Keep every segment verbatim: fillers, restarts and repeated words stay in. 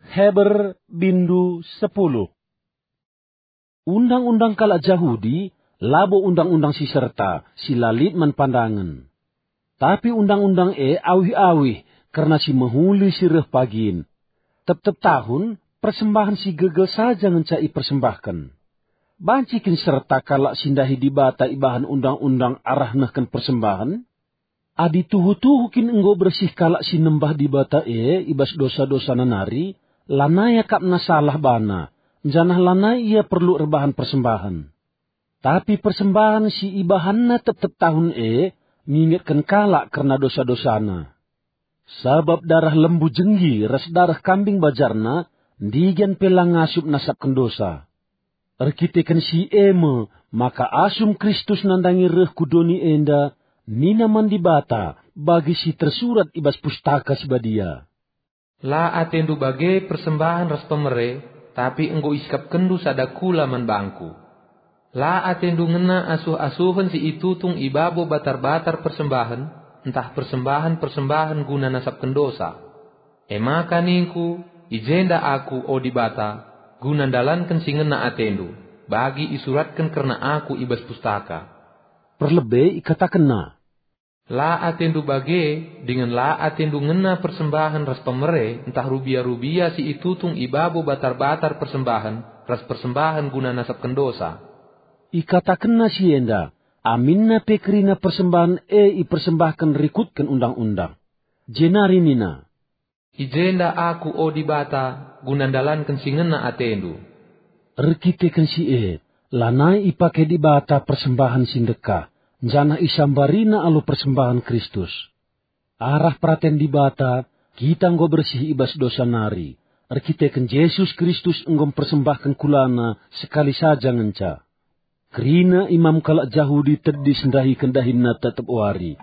Heber bindu sepuluh. Undang-undang kalak Jahudi labo undang-undang si serta, si la lit man pandangen. Tapi undang-undang e awih-awih kerna si mehuli si reh pagin. Tep-tep tahun, persembahen si gegel saja ngenca ipersembahken. Banci kin serta kalak si ndahi Dibata ibahan undang-undang arah nehken persembahen? Adi tuhu-tuhu kin enggo bersih kalak si nembah Dibata e i bas dosa-dosana nari, lanai akapna salah bana, janah lanai ia perlu erbahan persembahen. Tapi persembahen si ibahanna tep-tep tahun e ngingetken kalak kerna dosa-dosana. Sabap dareh lembu jenggi ras dareh kambing bajarna ndigan pe la ngasup nasapken dosa. Erkiteken si e me maka asum Kristus nandangi reh ku doni enda, nina man Dibata bagi si tersurat i bas Pustaka Si Badia, "La atendu bage persembahen ras pemere, tapi enggo isikapkenndu sada kula man bangKu. La atendu ngena asuh-asuhen si itutung i babo batar-batar persembahen, ntah persembahen-persembahen guna nasapken dosa. E maka ningKu, 'I jenda Aku, o Dibata, guna ndalanken si ngena atendu, bagi isuratken kerna Aku i bas Pustaka.'" Perlebe ikatakenna, "La atendu bage, dingen la atendu ngena persembahen ras pemere ntah rubia-rubia si itutung i babo batar-batar persembahen ras persembahen guna nasapken dosa." Ikatakenna si enda, aminna pe kerina persembahen e ipersembahken rikutken undang-undang. Jenari nina, "I jenda Aku, o Dibata, guna ndalanken si ngena atendu." Erkiteken si e, lanai ipake Dibata persembahen si ndekah, janah isambarina alu persembahen Kristus. Arah peraten Dibata, kita enggo bersih i bas dosa nari. Erkiteken Jesus Kristus enggo mpersembahken kulaNa sekali saja ngenca. Kerina imam kalak Jahudi tedis ndahiken dahinna tep-tep wari.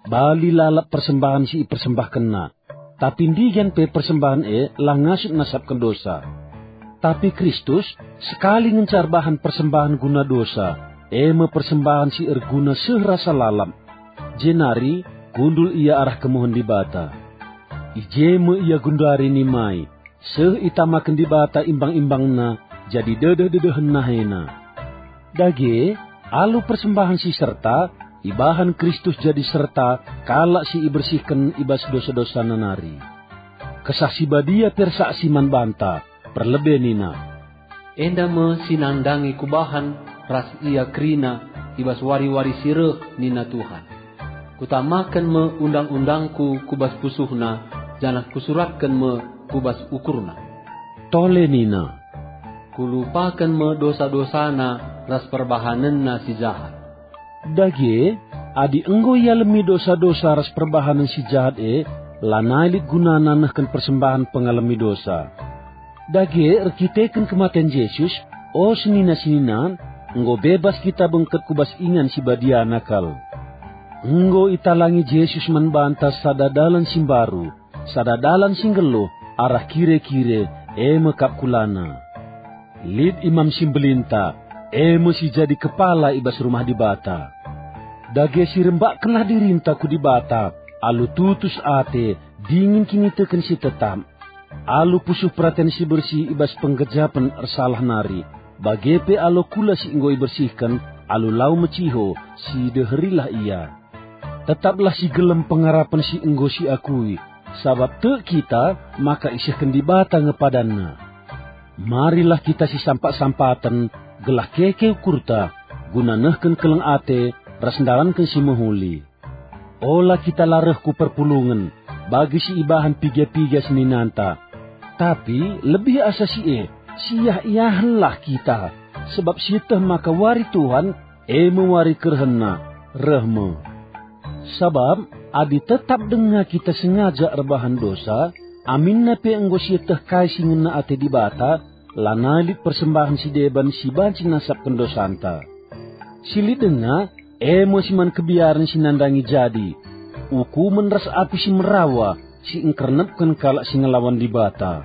Bali lalap persembahen si ipersembahkenna, tapi ndigan pe persembahen e la ngasup nasapken dosa. Tapi Kristus sekali ngenca erbahan persembahen guna dosa, e me persembahen si erguna seh rasa lalap. Jenari kundul Ia arah kemuhen Dibata. I je me Ia genduari nimai, seh itamaken Dibata imbang-imbangNa jadi dedeh-dedehen nahena. Dage, alu persembahen si serta, ibahan Kristus jadi serta kalak si ibersihken i bas dosa-dosana nari. Kesah Si Badia pe ersaksi man banta, perlebe nina, "Enda me si nandangi Kubahan ras ia kerina i bas wari-wari si reh," nina Tuhan. "Kutamaken me undang-undangKu ku bas pusuhna, janah Kusuratken me ku bas ukurna." Tole nina, "Kulupaken me dosa-dosana ras perbahanenna si jahat." Dage, adi enggo ialemi dosa-dosa ras perbahanen si jahat e, lanai lit gunana nehken persembahen pengalemi dosa. Dage, erkiteken kematen Jesus, o senina-senina, enggo bebas kita bengket ku bas ingan si badiana kal. Enggo italangi Jesus man banta sada dalan si mbaru, sada dalan si nggeluh arah kire-kire, e me kap kulaNa. Lit Imam si Mbelinta, e me si jadi kepala i bas Rumah Dibata. Dage si rembakkenlah dirinta ku Dibata, alu tutus ate, dingen kiniteken si tetap. Alu pusuh peraten si bersih i bas penggejapen ersalah nari, bage pe alu kula si enggo ibersihken, alu lau meciho, si deherilah ia. Tetaplah si gelem pengarapen si enggo siakui, sabap tek kita maka isehken Dibata nge padanNa. Marilah kita sisampat-sampaten, gelah keke ukurta, guna nehken keleng ate ras ndalanken si mehuli. Ola kita la reh ku perpulungen, bagi si ibahan piga-piga seninanta. Tapi lebih asa si e, siah-iahenlah kita, sebab sieteh maka wari Tuhan, e me wari kerehenNa, reh me. Sabap adi tetap denga kita sengaja erbahan dosa, aminna pe enggo sieteh kai si ngena ate Dibata, lanai lit persembahen si deban si banci nasapken dosanta. Si lit denga, e me si man kebiaren si nandangi jadi, ukumen ras api si merawa si engkernepken kalak si ngelawan Dibata.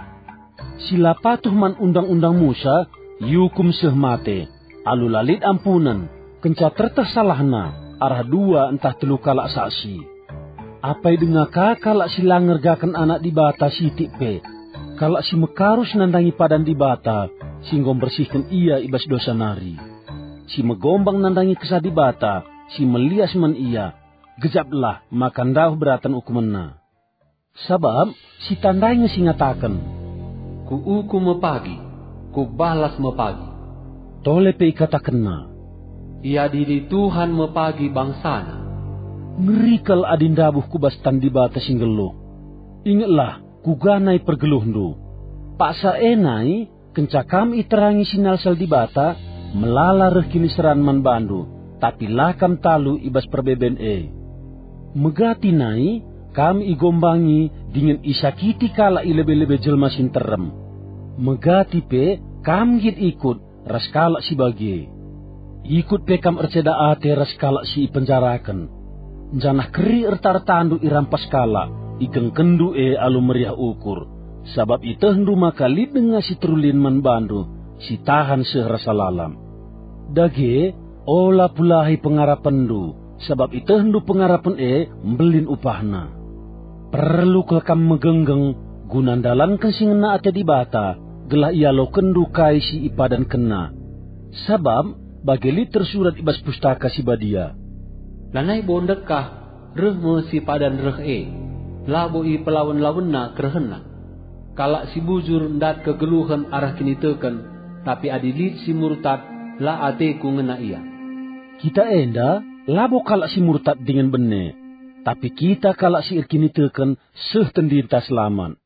Si la patuh man Undang-undang Musa iukum seh mate, alu la lit ampunen, kenca terteh salahna arah dua ntah telu kalak saksi. Apai denga ka kalak si la ngergaken Anak Dibata sitik pe, kalak si mekarus nandangi padan Dibata si enggo mbersihken ia i bas dosa nari, si megombang nandangi Kesah Dibata si melias man ia, gejaplah maka ndauh beraten ukumenna. Sabap si tandai nge si ngataken, "Kuukum me pagi, kubalas me pagi." Tole pe ikatakenna, "Iadili Tuhan me pagi bangsaNa." Ngeri kal adi ndabuh ku bas tan Dibata si nggeluh. Ingetlah, kuga nai pergeluhndu. Paksa e nai, kenca kam iterangi sinalsal Dibata, melala reh kiniseran man bandu, tapi la kam talu i bas perbeben e. Megati nai, kam igombangi dingen isakiti kalak i lebe-lebe jelma si nterem. Megati pe, kam nggit ikut ras kalak si bage. Ikut pe kam erceda ate ras kalak si ipenjaraken, janah keri erta-ertandu irampas kalak, igengkenndu e alu meriah ukur, sabap itehndu maka lit denga si terulin man bandu, si tahan seh rasa lalap. Dage, ola pulahi pengarapenndu, sabap itehndu pengarapen e mbelin upahna. Perlu kal kam megenggeng guna ndalanken si ngena ate Dibata, gelah ialokenndu kai si ipadankenNa. Sabap bage lit tersurat i bas Pustaka Si Badia, "Lanai bo ndekah, reh me si padan reh e, labo ipelawen-lawenna kerehenna. Kalak si bujur ndat kegeluhen arah kiniteken, tapi adi lit si murtad, la ateKu ngena ia." Kita enda labo kalak si murtad dingen bene, tapi kita kalak si erkiniteken seh tendinta selamat.